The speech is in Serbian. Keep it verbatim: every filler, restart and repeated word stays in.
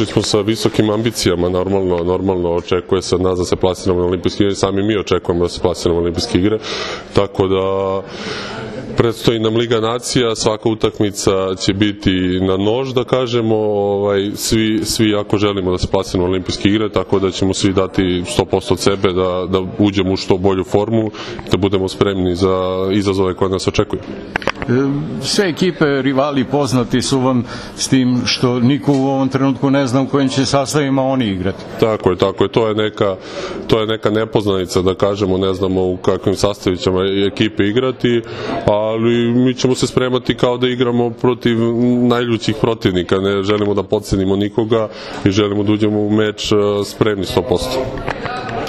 došli smo sa visokim ambicijama, normalno, normalno očekuje se od nas da se plasiramo na olimpijske igre, sami mi očekujemo da se plasiramo na olimpijske igre, tako da predstoji nam Liga nacija, svaka utakmica će biti na nož, da kažemo, ovaj, svi, svi jako želimo da se plasiramo na olimpijske igre, tako da ćemo svi dati sto posto od sebe da, da uđemo u što bolju formu, da budemo spremni za izazove koje nas očekuju. Sve ekipe, rivali poznati su vam s tim što niko u ovom trenutku ne zna u kojim će sastavima oni igrati. Tako je, tako je. To je neka, to je neka nepoznanica, da kažemo, ne znamo u kakvim sastavićama ekipe igrati, ali mi ćemo se spremati kao da igramo protiv najljućih protivnika. Ne želimo da podcenimo nikoga i želimo da uđemo u meč spremni sto posto.